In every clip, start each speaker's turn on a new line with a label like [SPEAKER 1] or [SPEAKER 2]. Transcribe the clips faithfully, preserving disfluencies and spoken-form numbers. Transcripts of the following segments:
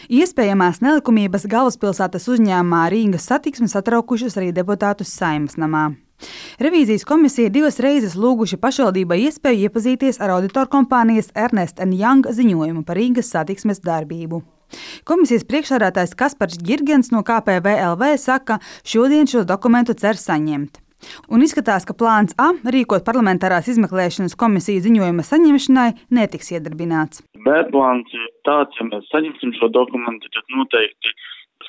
[SPEAKER 1] Iespējamās nelikumības galvaspilsētas uzņēmumā Rīgas Satiksme satraukušas arī deputātus Saeimas namā. Revīzijas komisija divas reizes lūguši pašvaldībai iespēju iepazīties ar auditorkompānijas Ernst and Young ziņojumu par Rīgas satiksmes darbību. Komisijas priekšsēdētājs Kaspars Girgens no K P V L V saka, šodien šo dokumentu cer saņemt. Un izskatās, ka plāns A rīkot parlamentārās izmeklēšanas komisiju ziņojuma saņemšanai netiks iedarbināts.
[SPEAKER 2] B plāns ir tāds, ja mēs saņemsim šo dokumentu, tad noteikti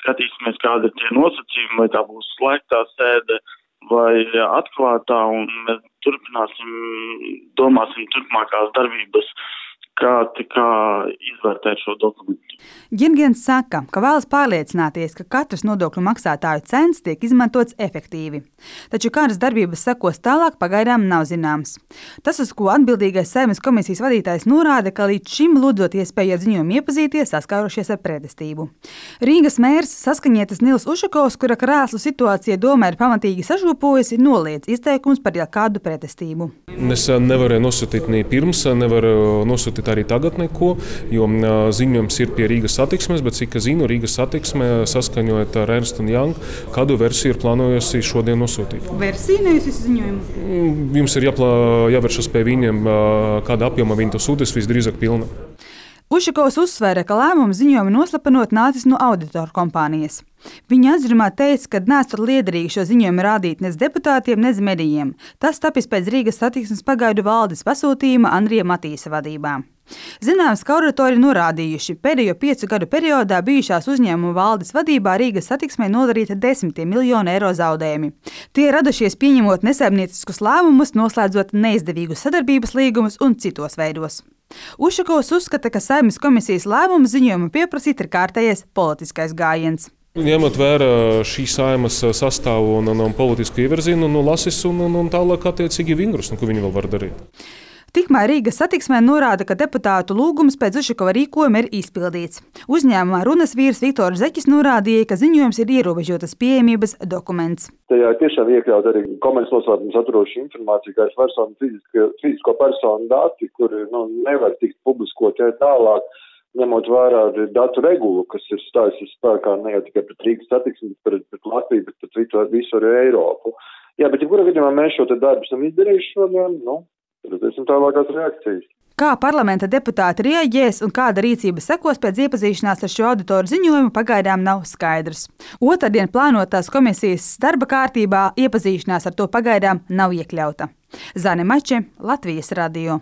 [SPEAKER 2] skatīsimies, kāda ir tie nosacījumi, vai tā būs slēgtā sēde vai atklātā, un mēs turpināsim, domāsim turpmākās darbības, kā, kā izvērtēt šo dokumentu.
[SPEAKER 1] Girgens saka, ka vēlas pārliecināties, ka katrs nodokļu maksātāju cents tiek izmantots efektīvi. Taču kādas darbības sekos tālāk, pagaidām nav zināms. Tas, uz ko atbildīgais Saeimas komisijas vadītājs norāda, ka līdz šim lūdzot iespēju ar ziņojumu iepazīties, saskārušies ar pretestību. Rīgas mērs saskaņietis Nils Ušakovs, kura krēslu situācija domē ir pamatīgi sažūpojusi, noliedz izteikums par kādu pretestību.
[SPEAKER 3] Es nevarēju nosūtīt ne pirms, nevaru nosūtīt arī tagad neko, jo ziņojums ir pie Rīgas satiksmes, bet cik es zinu, Rīgas satiksme saskaņojot ar Ernst and Young, kādu versiju ir plānojusi šodien nosūtīt.
[SPEAKER 1] Versija, nevis visu ziņojumu?
[SPEAKER 3] Jums ir jāplā, jāvēršas pie viņiem, kāda apjoma viņi to sūtīs, visdrīzāk pilna.
[SPEAKER 1] Ušakovs uzsvēra, ka lēmums ziņojumu noslapenot nācis no auditoru kompānijas. Viņa atzinumā teica, ka nesot liederīgi šo ziņojumu rādīt nec deputātiem, nec medijiem. Tas tapis pēc Rīgas satiksmes pagaidu valdes pasūtījuma Andrija Matīsa vadībā. Zināms, ka auditori norādījuši, pēdējo piecu gadu periodā bijušās uzņēmuma valdes vadībā Rīgas satiksmei nodarīta desmitiem miljonu eiro zaudējumi. Tie radušies pieņemot nesaimnieciskus lēmumus, noslēdzot neizdevīgus sadarbības līgumus un citos veidos. Ušakovs uzskata, ka Saeimas komisijas lēmumu ziņojumu pieprasīt ir kārtējais politiskais gājiens.
[SPEAKER 3] Ņemot vērā šī Saeimas sastāvu un, un, un politisku ievirzienu, nu, lasis un, un, un tālāk attiecīgi vingrus, nu, ko viņi vēl var darīt.
[SPEAKER 1] Tikmēr Rīgas satiksmē norāda, ka deputātu lūgums pēc Ušakova rīkojuma ir izpildīts. Uzņēmumā runas vīrs Viktors Zeķis norādīja, ka ziņojums ir ierobežotas pieejamības dokuments.
[SPEAKER 4] Tajā tiešām iekļaut arī komerces noslēpumu saturošu informāciju, kā es personu, fizisko, fizisko personu dati, kuri nu, nevar tikt publiskot tālāk, ņemot vērā datu regulu, kas ir stājusies spēkā ne jau tikai pret Rīgas satiksmi, bet pret Latviju, bet pret visu, visu arī Eiropu. Jā, bet ja kurā gadījumā mēs šo te darbu esam izdarījuši šodien, nu, redzēsim tālākās reakcijas.
[SPEAKER 1] Kā parlamenta deputāti rieģēs un kāda rīcība sekos pēc iepazīšanās ar šo auditoru ziņojumu, pagaidām nav skaidrs. Otrdien plānotās komisijas darba kārtībā iepazīšanās ar to pagaidām nav iekļauta. Zane Mače, Latvijas radio.